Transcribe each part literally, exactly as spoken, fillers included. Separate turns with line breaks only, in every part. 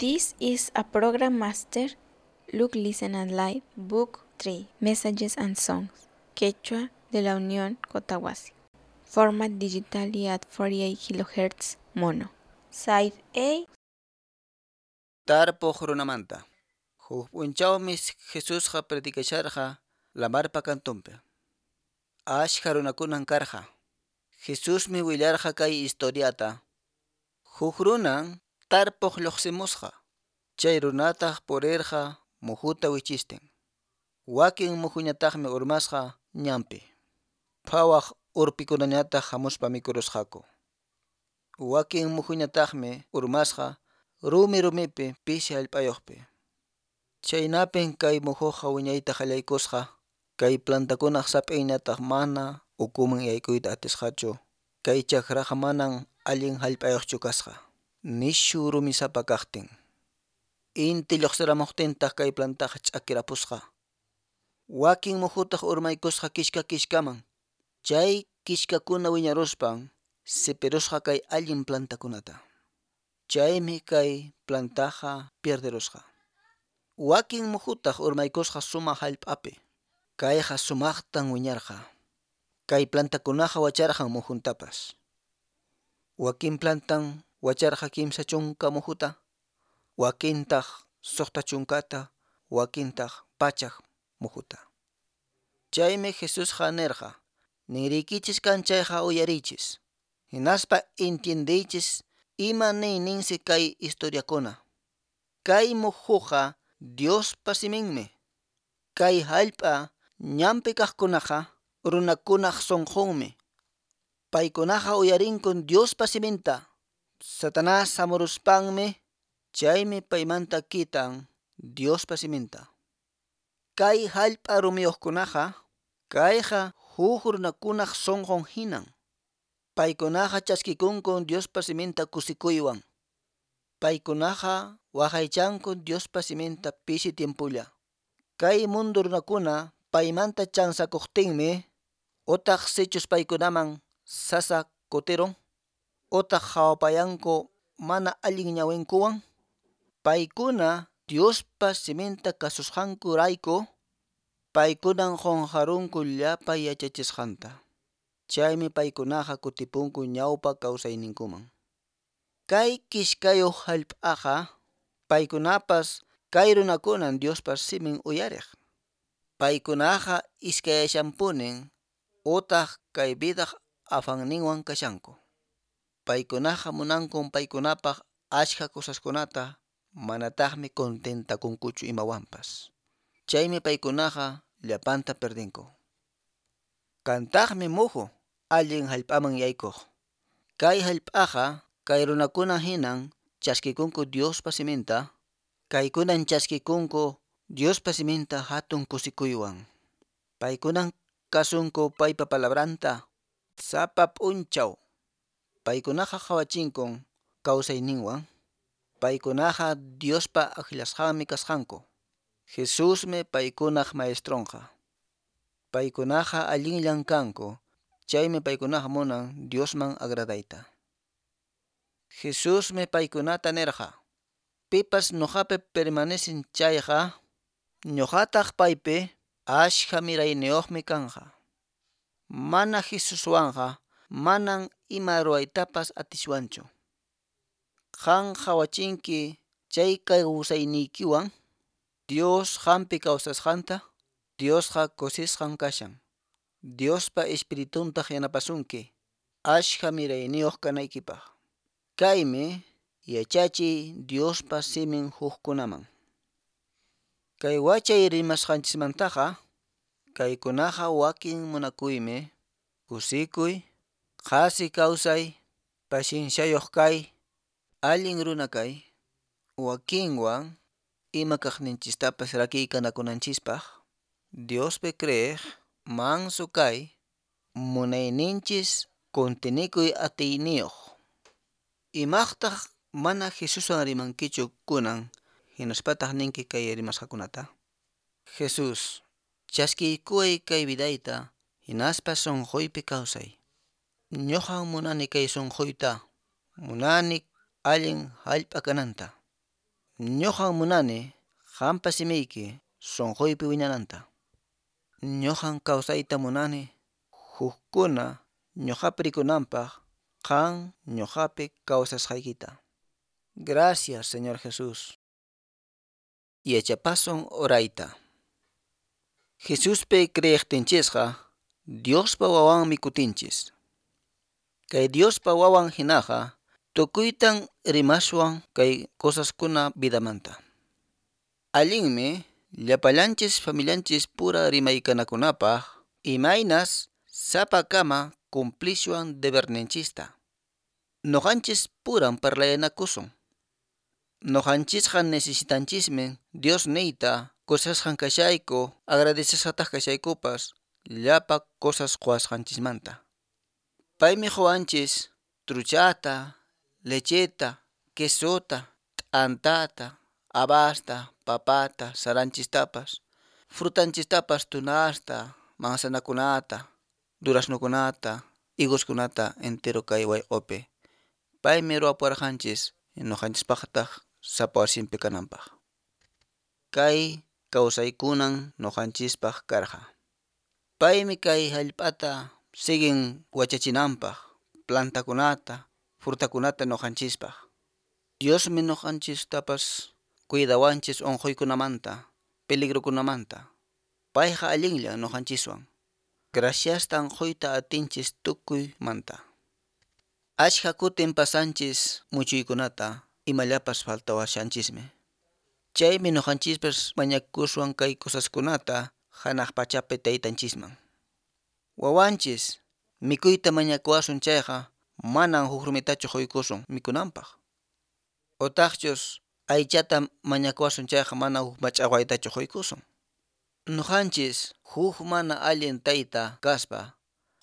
This is a program master, Look, Listen and Live, Book three, Messages and Songs, Quechua de la Unión Cotahuasi. Format digitally at forty-eight kilohertz mono. Side A.
Tarpuq runamanta. Huk p'unchawmi Jesusqa predicasharqa lamarpa kantunpi. Ashka runakunan karqa. Jesusmi willarqa kay historiata. Huk runan tarpuq lluqsimusqa. Chay runataq purirqa muhuta wichistin. Wakin muhuñataqmi urmasqa ñanpi. Phawaq urpikunañataq hamuspa mikurusqaku. Wakin muhuñataqmi urmasqa rumi rumipi pisi hallp'ayuqpi. Chaynapin kay muhuqa wiñayta qallaykusqa, kay plantakunaq sap'inñataq mana ukuman yaykuyta atisqachu, kay chakraqa manan allin hallp'ayuqchu kasqa, nishu rumisapa kaqtin. Inti lluqsiramuqtintaq kay plantaqa ch'akirapusqa. Wakin muhutaq urmaykusqa kishka kishkaman. Chay kishkakuna wiñaruspan sipirusqa kay allin plantakunata. Chaymi kay plantaqa pierderusqa. Wakin muhutaq urmaykusqa sumaq hallp'api. Kayqa sumaqtan wiñarqa. Kay plantakunaqa wacharqan muhuntapas. Wakin plantan wacharqa kimsa chunka muhuta, wakintaq suqta chunkata, wakintaq pachak muhuta. Chaymi Jesusqa nirqa, ninriykichis kan chayqa uyariychis. Hinaspa entiendeychis ima niyninsi kay historiakuna. Kay muhuqa Diospa siminmi. Kay hallp'a ñanpi kaqkunaqa runakunaq sunqunmi. Paykunaqa uyarinkun Diospa siminta. Satanás hamuruspanmi chaymi paymanta kitan Diospa siminta. Kay hallp'a rumiyuqkunaqa kayqa huk runakunaq sunqun hinan. Paykunaqa chaskikunkun Diospa siminta kusikuywan. Paykunaqa waqaychankun Diospa siminta pisi tiempulla. Kay mundu runakuna paymanta chansakuqtinmi utaq sichus paykunaman sasa kutirun, utaq hawapayanku mana allin ñawinkuwan, paykuna Diospa siminta kasusqankurayku, paykunan qunqarunku llapa yachachisqanta. Chaymi paykunaqa kutipunku ñawpa kawsayninkuman. Kay kishkayuq hallp'aqa paykunapas kay runakunan Diospa simin uyariq. Paykunaqa iskayashanpunin utaq kay vidaq afanninwan kashanku. Paykunaqa munankun paykunapaq achka cosaskunata manataqmi contentakunkuchu imawanpas. Chaymi paykunaqa llapanta perdinku. Kantaqmi muhu allin hallp'aman yaykuq. Kay hallp'aqa kay runakuna hinan chaskikunku Diospa siminta, kaykunan chaskikunku Diospa siminta hatun kusikuywan. Paykunan kasunku paypa palabranta sapa p'unchaw. Paykunaqa qhawachinkun kawsayninwan. Paykunaqa Diospa akllasqanmi kasqanku. Jesusmi paykunaq maestronqa. Paykunaqa allinllan kanku, chaymi paykunaqa munan Diosman agradayta. Jesusmi paykunata nirqa, pipas ñuqapi permanecen chayqa, ñuqataq paypi ashka mirayniyuqmi kanqa. Mana Jesuswanqa manan ima ruwaytapas atiswanchu. Qan qhawachinki chay kawsayniykiwan Dios qampi kawsasqanta, Diosqa kusisqan kashan. Diospa espirituntaq yanapasunki ashka mirayniyuq kanaykipaq. Kaymi yachachiy Diospa simin hukkunaman. Kay wachay rimasqanchismantaqa kaykunaqa wakin munakuymi, kusikuy, qhasi kawsay, pacienciayuq kay, allin runa kay, wakinwan ima kaqninchistapas rakiykanakunanchispaq, Diospi creeq, manso kay, munayninchis kuntinikuy atiyniyuq. Imaqtaq mana Jesuswan rimankichu kunan hinaspataq ninki kay rimasqakunata? Jesús, chaskiykuway kay vidayta hinaspa sunquypi kawsay. Ñuqan munani kay sunquyta, munani allin hallp'a kananta. Ñuqan munani qampa simiyki sunquypi wiñananta. Ñuqan kawsayta munani hukkuna ñuqapi rikunanpaq qan ñuqapi kawsasqaykita. Gracias, Señor Jesús. Yachapasun orayta. Jesuspi creeqtinchisqa Diospa wawanmi kutinchis. Kay Diospa wawan hinaqa tukuytan rimaswan kay cosaskuna vidamanta. Allinmi llapallanchis familianchis pura rimaykanakunapaq imaynas sapakama cumplishwan deberninchista. Noqanchis puran parlayanakusun. Noqanchisqa necesitanchismi Dios niyta kusisqan kashayku agradecesqataq kashaykupas llapa cosas quwasqanchismanta. Paymi quwanchis truchata, lecheta, quesota, t'antata, habasta, papata, saranchistapas, frutanchistapas tunasta, manzanakunata, duraznokunata, higoskunata entero kay wayq'upi. Paymi ruwapuwarqanchis ñuqanchispaqtaq sapa wasinpi kananpaq. Kay kawsaykunan ñuqanchispaq karqa. Paymi kay hallp'ata siguen wachachinanpaq plantakunata, frutakunata ñuqanchispaq. Diosmi ñuqanchistapas cuidawanchis unquykunamanta, peligrokunamanta. Payqa allinlla ñuqanchiswan. Graciastan quyta atinchis tukuymanta. Ashka kutin pasanchis muchuykunata imallapas faltawashanchismi. Chaymi ñuqanchispas mañakuswan kay cosaskunata hanaq pachapi taytanchisman. Wawanchis mikuyta mañakuwasun chayqa manan huk rumitachu quykusun mikunanpaq. Utaqchus aychata mañakuwasun chayqa mana huk mach'aqwaytachu quykusun. Ñuqanchis huk mana allin tayta kaspa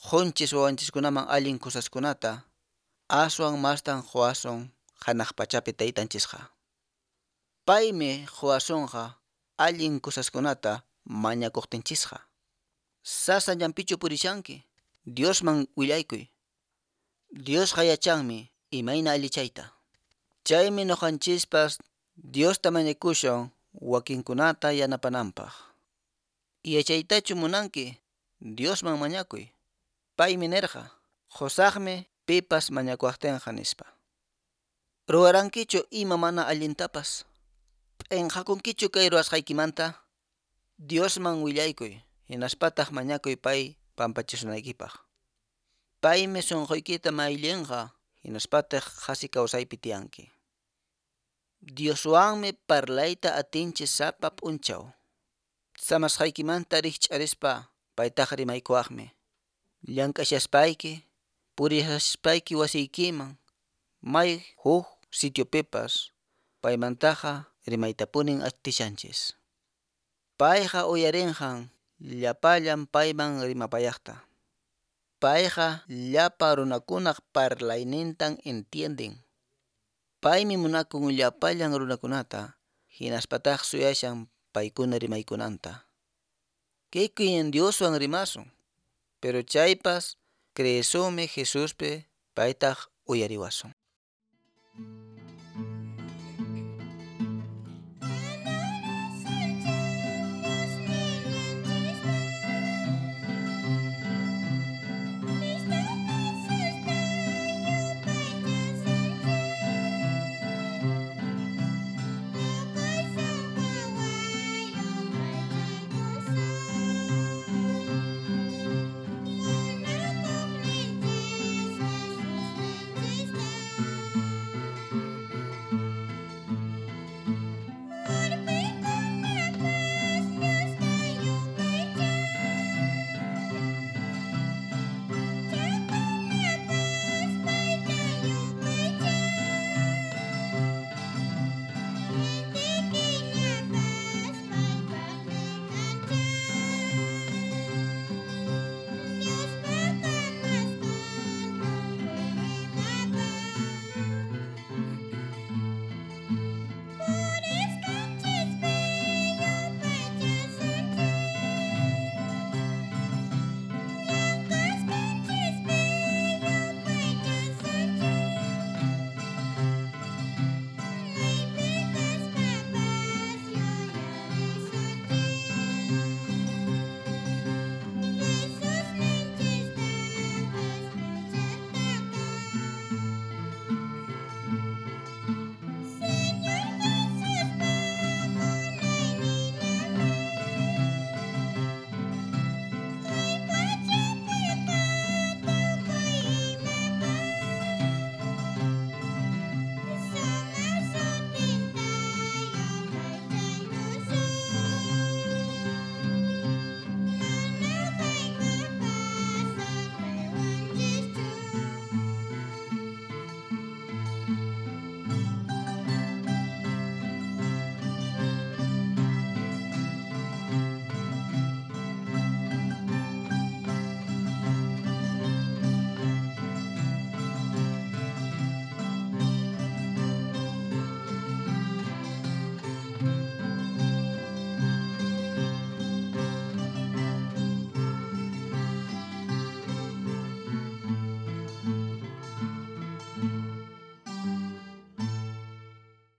qunchis wawanchiskunaman allin cosaskunata aswan mastan quwasun hanaq pachapi taytanchisqa. Paymi quwasunqa allin cosaskunata mañakuqtinchisqa. Sasa llampichu purishanki, Diosman willaykuy. Diosqa yachanmi imayna allichayta. Chaymi ñuqanchispas Diosta mañakushun wakinkunata yanapananpaq. Yachaytachu munanki, Diosman mañakuy. Paymi nirqa, qusaqmi pipas mañakuwaqtinqa nispa. Ruwarankichu ima mana allintapas? P'inqakunkichu kay ruwasqaykimanta? Diosman willaykuy, hinaspataq mañakuy pay pampachisunaykipaq. Paymi sunquykita mayllinqa, hinaspataq qhasi kawsaypi tiyanki. Dioswanmi parlayta atinchis sapa p'unchaw. Samasqaykimanta rikch'arispa paytaqa rimaykuwaqmi. Llank'ashaspayki, puriyashayki wasiykiman, may huk sitiopipas paymantaqa rimaytapunin atishanchis. Payqa uyarinqan llapallan payman rimapayaqta. Payqa llapa runakunaq parlaynintan entienden. Paymi munakun llapallan runakunata, hinaspataq suyashan paykuna rimaykunanta. Kikin Dioswan rimasun, pero chaypas creesumi Jesuspi paytaq uyariwasun.
Thank you.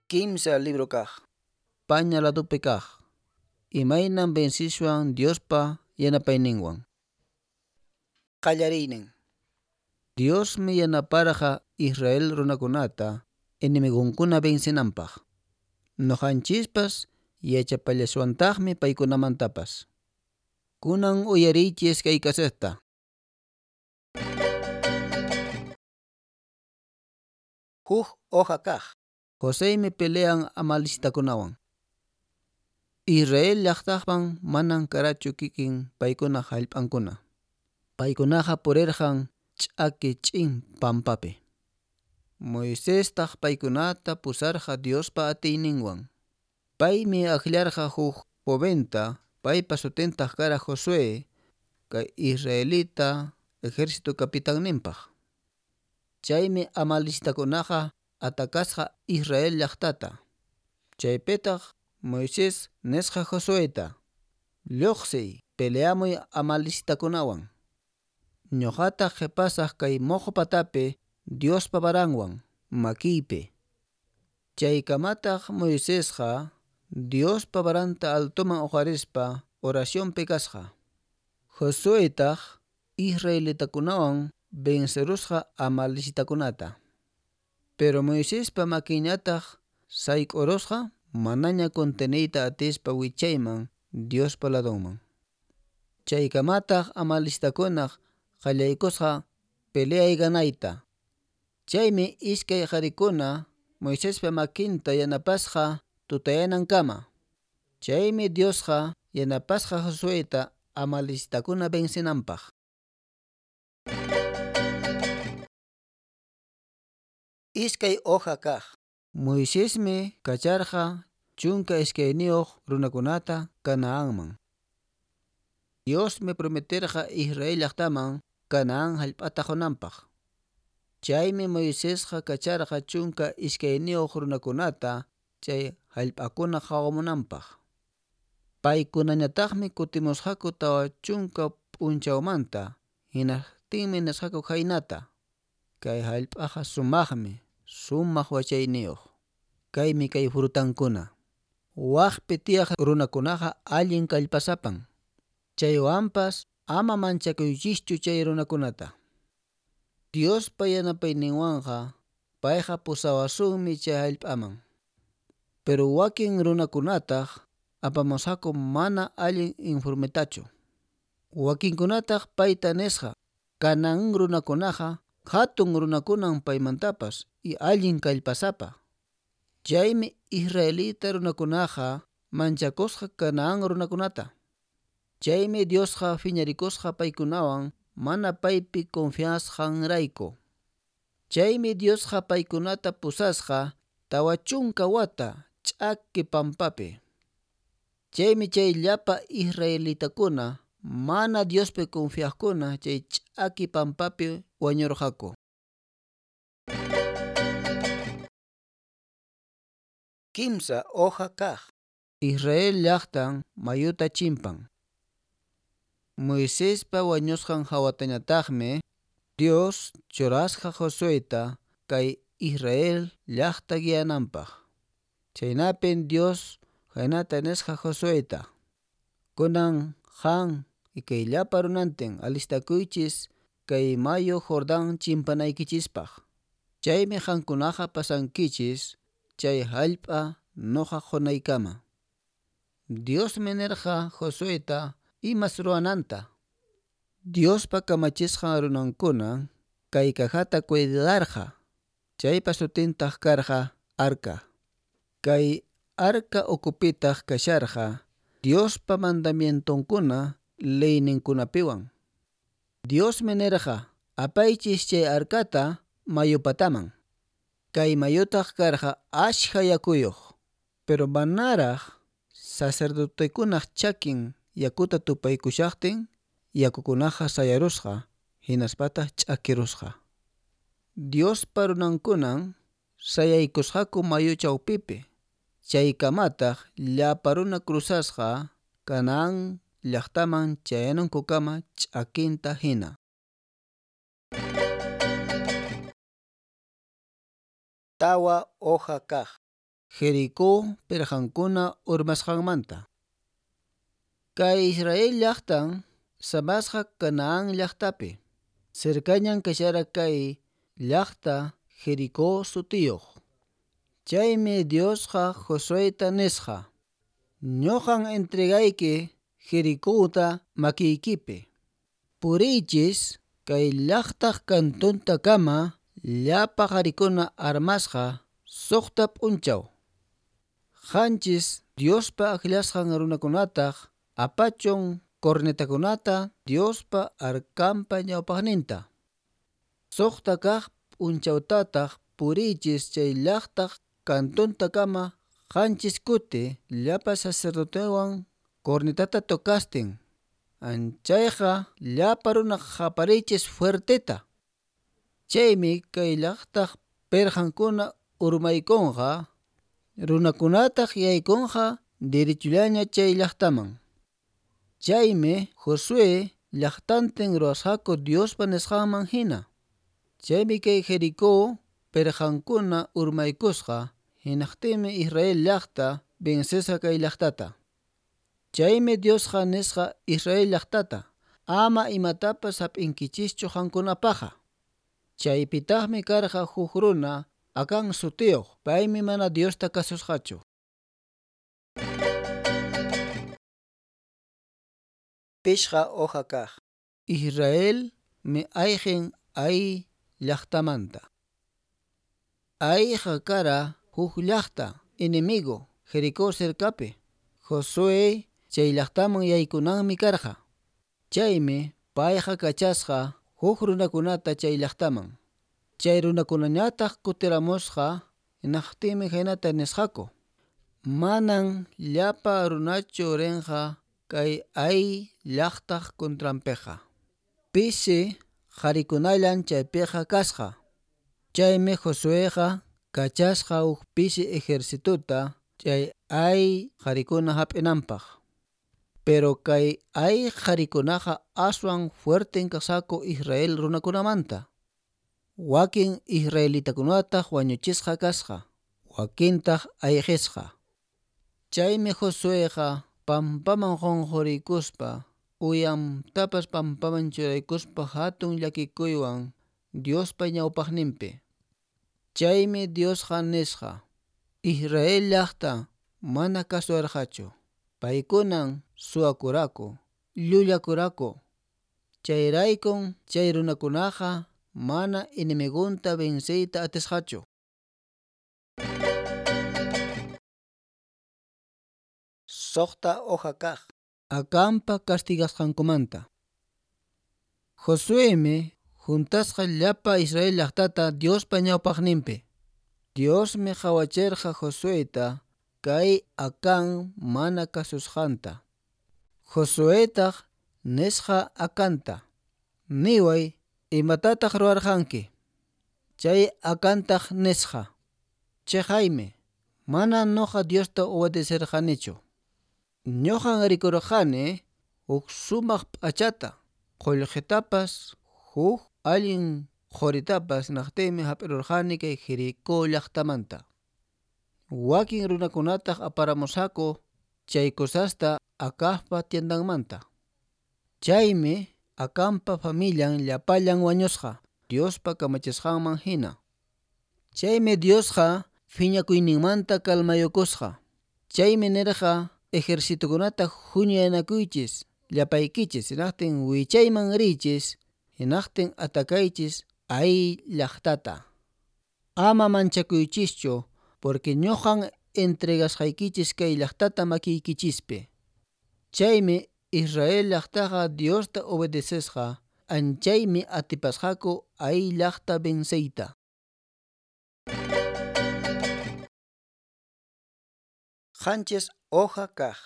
Kimsa libro kaq. Paña ladupi kaq. Imaynan vencishwan Diospa yanapayninwan. Qallariynin. Diosmi yanaparqa Israel runakunata enemigunkuna vencenanpaq. Nuqanchispas yachapallashwantaqmi paykunamantapas. Kunan uyariychis kay kasetta. Huk hoja kaq. Joseymi pelean amalicitakunawan. Israel llaqtaqpan manan karachu kikin paykuna hallp'ankuna. Paykunaqa purirqan ch'aki ch'in pampapi. Moisestaq paykunata pusarqa Diospa atiyninwan. Paymi akllarqa huk joventa, paypa sutintaq kara Josué, kay israelita ejército capitanninpaq. Chaymi amalicitakunaqa atakasqa Israel llaqtata. Chaypitaq Moisés nisqa Josueta: "Lluqsiy, peleamuy amalicitakunawan. Ñuqataq qhipasaq kay moqo patapi Diospa varanwan makiypi." Chaykamataq Moisesqa Diospa varanta altoman uqarispa oracionpi kasqa. Josuetaq israelitakunawan vencerusqa amalicitakunata. Pero Moisespa makinñataq sayk'urusqa manaña conteniyta atispa wichayman Diospa ladonman. Chaykamataq amalicitakunaq qallaykusqa peleay ganayta. Chaymi iskay qharikuna Moisespa makinta yanapasqa tutayanankama. Chaymi Diosqa yanapasqa Josueta amalicitakuna vencenanpaq. Iskay hoja kaq. Moisesmi kacharqa chunka iskayniyuq runakunata Canaanman. Diosmi prometerqa Israel llaqtaman Canaán hallp'ata qunanpaq. Chaymi Moisesqa kacharqa chunka iskayniyuq runakunata chay hallp'akuna qhawamunanpaq. Paykunañataqmi kutimusqaku tawa chunka p'unchawmanta, hinaqtinmi nisqaku khaynata: "Kay hallp'aqa sumaqmi, sumaq wachayniyuq. Kaymi kay frutankuna. Waqpi tiyaq runakunaqa allin kallpasapan. Chaywanpas ama manchakuychischu chay runakunata. Diospa yanapayninwanqa payqa pusawasunmi chay hallp'aman." Pero wakin runakunataq apamusqaku mana allin informetachu. Wakinkunataq payta nisqa: "Canaán runakunaqa hatun runakunan paymantapas y allin kallpasapa." Chaymi israelita runakunaqa manchakusqa Canaán runakunata. Chaymi Diosqa phiñarikusqa paykunawan mana paypi confiasqanrayku. Chaymi Diosqa paykunata pusasqa tawa chunka wata ch'aki pampapi. Chaymi chay llapa israelitakuna mana Diospi confiaqkuna chay ch'aki pampapi wañurqaku. Kimsa hoja kaq. Israel llaqtan mayuta chimpan. Moisespa wañusqan hawatañataqmi Dios churasqa Josueta kay Israel llaqta guiananpaq. Chaynapin Dios khaynata nisqa Josueta: "Kunan qan y kay llapa runantin alistakuychis kay mayu Jordán chimpanaykichispaq. Chaymi qankunaqa pasankichis chay hallp'a nuqa qunaykama." Diosmi nirqa Josueta imas ruwananta. Diospa kamachisqan runankuna kay cajata cuidarqa. Chaypa sutintaq karqa arca. Kay arca ukupitaq kasharqa Diospa mandamientonkuna leyninkunapiwan. Diosmi nirqa: "Apaychis chay arcata mayu pataman." Kay mayutaq karqa ashka yakuyuq. Pero manaraq sacerdotekunaq chakin yakuta tupaykushaqtin yakukunaqa sayarusqa hinaspataq ch'akirusqa. Diospa runankunan sayaykusqaku mayu chawpipi. Chaykamataq llapa runa cruzasqa Canaán llaqtaman chayanankukama ch'akinta hina. Tawa hoja kaq. Jericó pirqankuna urmasqanmanta. Kay Israel llaqtan samasqa Canaán llaqtapi. Cercañan kashara kay llaqta Jericó sutiyuq. Chaymi Diosqa Josueta nisqa: Ñuqan entregayki Jericóta makiykipi. Puriychis kay llaqtaq kantuntakama llapa qarikuna armasqa suqta p'unchaw. Qanchis Diospa akllasqan runakunataq apachun cornetakunata Diospa arkanpa ñawpaqninta. Suqta kaq p'unchawtataq puriychis chay llaqtaq kantuntakama qanchis kuti llapa sacerdotewan cornetata tocastin. Anchayqa llapa runa qapariychis fuerteta. Chaymi kay llaqtaq pirqankuna urmaykunqa, runakunataq yaykunqa derechullaña chay llaqtaman. Chaymi Josué llaqtantin ruwasqaku Diospa nisqanman hina. Chaymi kay Jericó pirqankuna urmaykusqa, hinaqtinmi Israel llaqta vencesqa kay llaqtata. Chaymi Diosqa nisqa Israel llaqtata: ama imatapas hap'inkichischu qankunapaqqa. Chaypitaqmi karqa huk runa Acán sutiyuq, paymi mana Diosta kasusqachu.
Pishqa hoja kaq.
Israel mi ayqin Ai llaqtamanta. Aiqa kara huk llaqta enemigo Jericó cercapi. Josué chay llaqtaman yaykunanmi karqa. Chaymi payqa kachasqa huk runakunata chay llaqtaman. Chay runakunañataq kutiramusqa, hinaqtinmi khaynata nisqaku: Manan llapa runachu rinqa kay Ai llaqtaq contranpiqa. Pisi qharikunallan chaypiqa kasqa. Chaymi Josueqa kachasqa huk pisi ejercitota chay Ai qharikuna hap'inanpaq. Pero kay Ai qharikunaqa aswan fuerten kasqaku Israel runakunamanta. Wakin israelitakunataq wañuchisqa kasqa, wakintaq ayqisqa. Chaymi Josueqa pampaman qunquriykuspa, uyantapas pampaman churaykuspa hatun llakikuywan Diospa ñawpaqninpi. Chaymi Diosqa nisqa: Israel llaqta mana kasuwarqachu. Paykunan suwakuraku, llullakuraku. Chayraykun chay runakunaqa mana enemigunta venceyta atisqachu.
Suqta hoja kaq.
Acanpa castigasqankumanta. Josuemi juntasqa llapa Israel llaqtata Diospa ñawpaqninpi. Diosmi qhawachirqa Josueta kay Acán mana kasusqanta. Josuetaq nisqa Acanta: Niway, imatataq ruwarqanki? Chay Acantaq nisqa: Chiqaymi, mana nuqa Diosta obedecirqanichu. Ñuqan rikurqani huk sumaq p'achata, qullqitapas, huk allin quritapas naqtinmi hap'irurqani kay Jericó llaqtamanta. Wakin runakunataq aparamusqaku chay cosasta Acabpa tiendanmanta. Chaymi Acanpa familian llapallan wañusqa Diospa kamachisqanman hina. Chaymi Diosqa phiñakuyninmanta kalmayukusqa. Chaymi nirqa ejercitokunata huñunakuychis llapaykichis, hinaqtin wichayman riychis, hinaqtin atakaychis Ai llaqtata. Ama manchakuychischu, porque ñuqan entregasqaykichis kay llaqtata makiykichispi. Chaymi Israel llaqtaqa Diosta obedecesqa, anchaymi atipasqaku Ai llaqta venceyta.
Qanchis hoja kaq.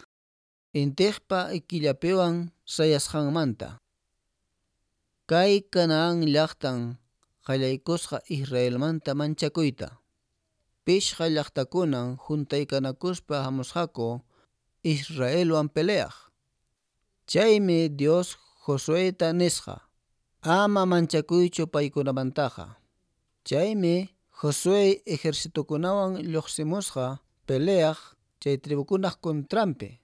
Intiqpa killapiwan sayasqanmanta. Kay Canaán llaqtan qallaykusqa Israelmanta manchakuyta. Pishqa llaqtakunan juntaykanakuspa hamusqaku Israelwan peleaq. Chaymi Dios Josueta nisqa: Ama manchakuychu paykunamantaqa. Chaymi Josué ejercitokunawan lluqsimusqa peleaq chay tribukunaq contranpi.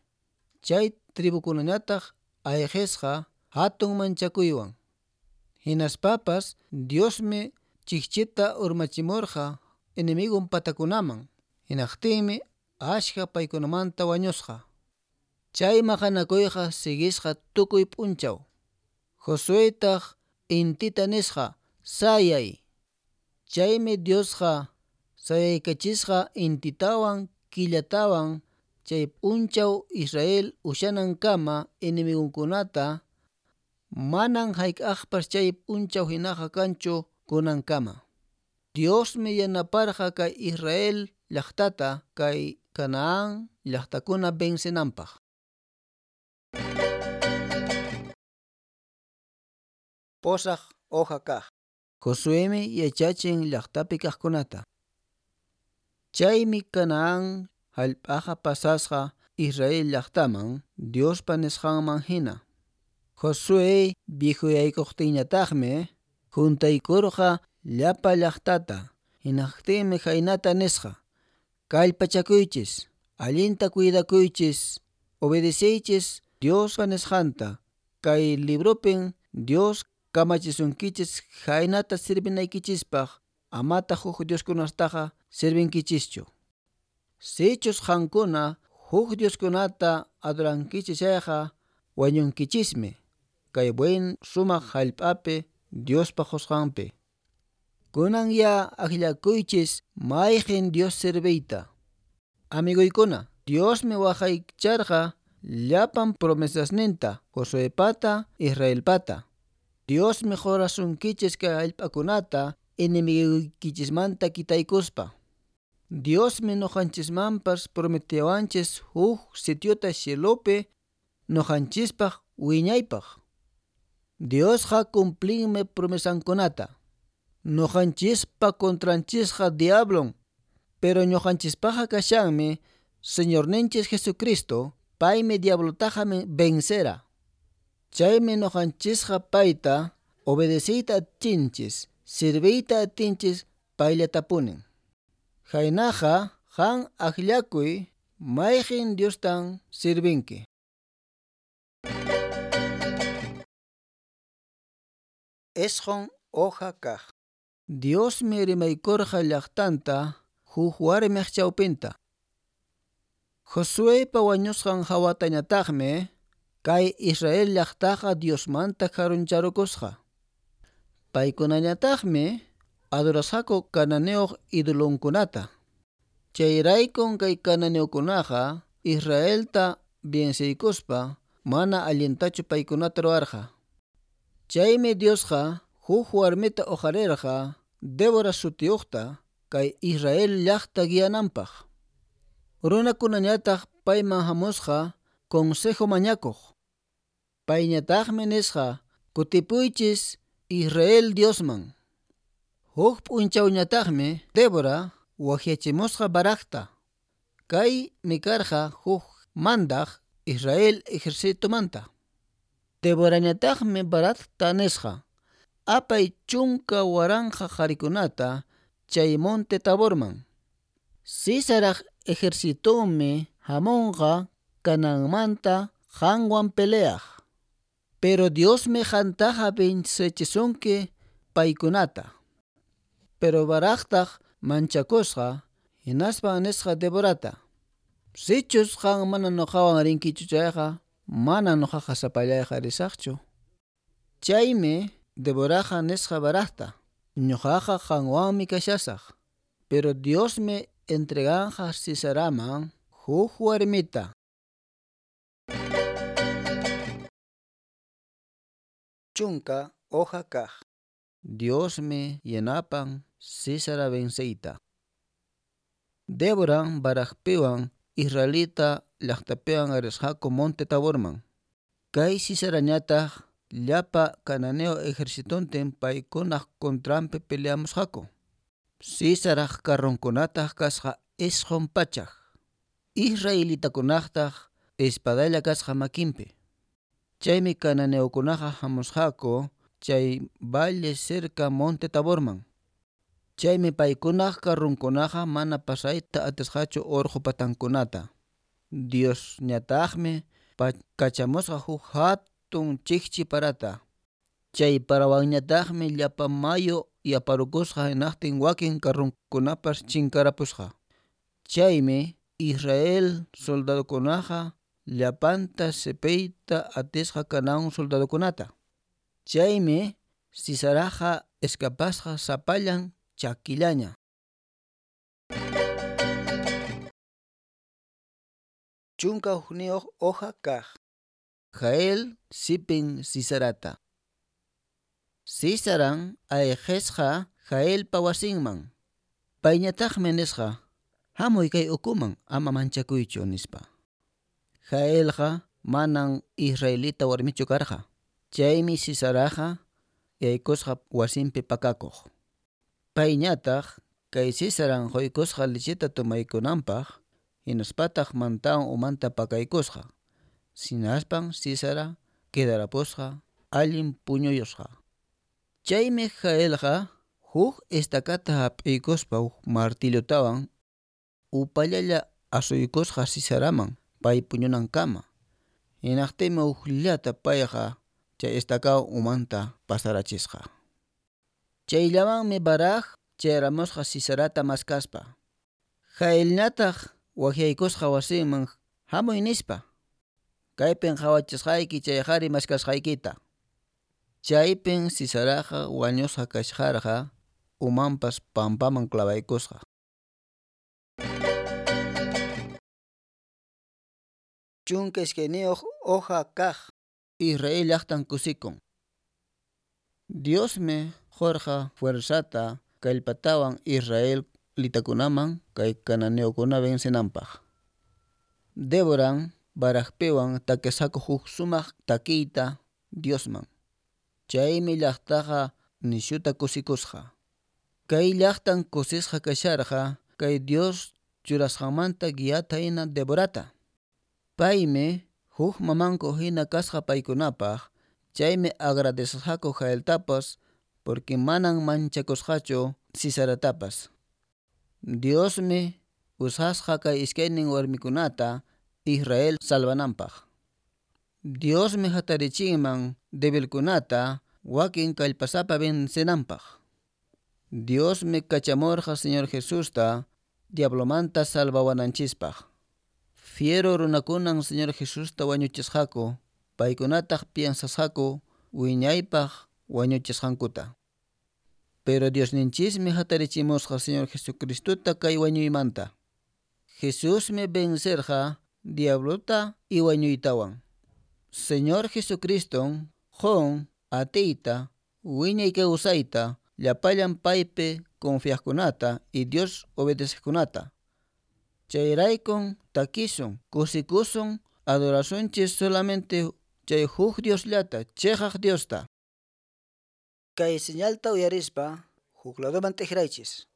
Chay tribukunañataq ayqisqa hatun manchakuywan. Hinaspapas Diosmi chikchita urmachimurqa enemigon patakunaman. Hinaqtinmi ashka paykunamanta wañusqa. Chay maqanakuyqa siguisqa tukuy p'unchaw. Josuetaq intita nisqa sayay. Chaymi Diosqa sayaykachisqa intitawan killatawan chay p'unchaw Israel ushanankama enemigonkunata manan hayk'aqpas chay p'unchaw hinaqa kanchu kunankama. Diosmi yanaparqa kay Israel llaqtata kay Canaán llaqtakuna vencenanpaq.
Pusaq hoja kaq.
Josuemi yachachin llaqtapi kaqkunata. Chaymi Canaán hallp'aqa pasasqa Israel llaqtaman Diospa nisqanman hina. Josué viejuyaykuqtinñataqmi juntaykurqa llapa llaqtata hinaqtinmi khaynata nisqa: Kallpachakuychis, allinta cuidakuychis, obedeceychis Diospa nisqanta. Kay libropin Dios kamachisunkichis khaynata sirvinaykichispaq, amataq huk dioskunataqa sirvinkichischu. Sichus qankuna huk dioskunata adorankichis chayqa wañunkichismi kay buen sumaq hallp'api Diospa qusqanpi. Kunan ya akllakuychis mayqin Dios serviyta. Amiguykuna, Diosmi waqaycharqa llapan promesasninta Josuepata Israelpata. Diosmi qurasunkichis kay hallp'akunata enemigoykichismanta kitaykuspa. Diosmi nuqanchismanpas prometiwanchis huk sitiota cielopi nuqanchispaq wiñaypaq. Diosqa cumplinmi promesankunata. Nuqanchispa contranchisqa diablon, pero ñuqanchispaqqa kashanmi Señorninchis Jesucristo, paymi diablotaqa vencera. Chaymi nuqanchisqa payta obedeciyta atinchis, sirviyta atinchis payllatapuni. Khaynaqa qan akllakuy mayqin Diostan sirvinki.
Isqun hoja kaq.
Diosmi rimaykurqa llaqtanta huk warmiq chawpinta. Josuepa wañusqan hawatañataqmi kay Israel llaqtaqa Diosmanta karuncharukusqa. Paykunañataqmi adorasqaku cananeo idolonkunata. Chayraykun kay cananeokunaqa Israelta venceykuspa mana allintachu paykunata ruwarqa. Chaymi Diosqa huk warmita uqarirqa Débora sutiyuqta kay Israel llaqta guiananpaq. Runakunañataq payman hamusqa consejo mañakuq. Payñataqmi nisqa kutipuychis Israel Diosman. Huk p'unchawñataqmi Débora waqyachimusqa Baracta. Kay mikarqa huk mandaq Israel ejercitomanta. Déborañataqmi Baracta nisqa: Apay chunka waranqa qharikunata chay monte Taborman. Sísaraq ejercitonmi hamunqa Canaanmanta qanwan peleaq. Pero Diosmi qantaqa vencechisunki paykunata. Pero Baractaq manchakusqa hinaspa nisqa Déborata: Sichus qan mana nuqawan rinkichu chayqa mana nuqaqa sapallayqa risaqchu. Chaymi Déboraqa nisqa Baracta: Ñuqaqa qanwanmi kashasaq. Pero Diosmi entreganqa Sísaraman huk warmita.
Chunka hoja kaq.
Diosmi yanapan Sísara venceyta. Débora Baracpiwan Israelita llaqtapiwan risqaku monte Taborman. Kay Sísarañataq llapa cananeo ejercitontin paykunaq contranpi peleamusqaku. Sísaraq carronkunataq kasqa isqun pachak. Israelitakunaqtaq espadalla kasqa makinpi. Chaymi cananeokunaqa hamusqaku chay valle cerca monte Taborman. Chaymi paykunaq karrunkunaqa mana pasayta atisqachu urqu patankunata. Diosñataqmi kachamusqa huk hatun chikchi parata. Chay parawanñataqmi llapa mayu yaparukusqa hinaqtin wakin karrunkunapas chinkarapusqa. Chaymi Israel soldadokunaqa llapanta sipiyta atisqa Canaán soldadokunata. Chaymi Sisaraqa escapasqa sapallan chakillaña.
Chunka hukniyuq hoja kaq.
Jael sipin Sisarata. Sisaran ayqisqa Jaelpa wasinman. Payñataqmi nisqa: Hamuy kay ukuman, ama manchakuychu, nispa. Jaelqa manan israelita warmichu karqa. Chaymi Sisaraqa yaykusqa wasinpi pakakuq. Payñataq kay Sisaran quykusqa lecheta tomaykunanpaq, hinaspataq mantawan umanta pakaykusqa. Hinaspan Sisara quedarapusqa allin puñuyusqa. Chaymi Jaelqa huk estacata hap'iykuspa huk martillotawan upallalla asuykusqa Sisaraman pay puñunankama. Hinaqtinmi hukllata payqa chay estacawan umanta pasarachisqa. Chayllamanmi Barak chayaramusqa Sisarata maskaspa. Jaelñataq waqyaykusqa wasinman hamuy nispa. Kaypin qhawachisqayki chay qhari maskasqaykita. Chaypin Sisaraqa wañusqa kashaqarqa umanpas pampaman clavaykusqa.
Chunka iskayniyuq hoja kaq.
Israel llaqtan kusikun. Diosmi qurqa fuerzata kallpatawan Israel litakunaman kay cananeokuna vencenanpaq. Déboran Barakpiwan takisqaku huk sumaq takiyta Diosman. Chaymi llaqtaqa nishuta kusikusqa. Kay llaqtan kusisqa kasharqa kay Dios churasqanmanta guiata hina Déborata. Paymi huk mamanku hina kasqa paykunapaq, chaymi agradecesqaku Jaeltapas porque manan manchakusqachu Sisaratapas. Diosmi usasqa kay iskaynin warmikunata Israel salvananpaq. Diosmi hatarichinman débilkunata wakin kallpasapa vencenanpaq. Diosmi kachamurqa Señor Jesusta diablomanta salvawananchispaq. Fiero runakunan Señor Jesusta wañuchisqaku, paykunataq piensasqaku wiñaypaq wañuchisqankuta. Pero Diosninchismi hatarichimusqa Señor Jesucristota kay wañuymanta. Jesusmi vencerqa diablota y wañuytawan. Señor Jesucriston qun atiyta wiñay kawsayta llapallan paypi confiaqkunata y Dios obedeceqkunata. Chayraykun takisun, kusikusun, adorasunchis solamente chay huk Diosllata, chiqaq Diosta.
Kay señalta uyarispa huk ladoman t'ikraychis.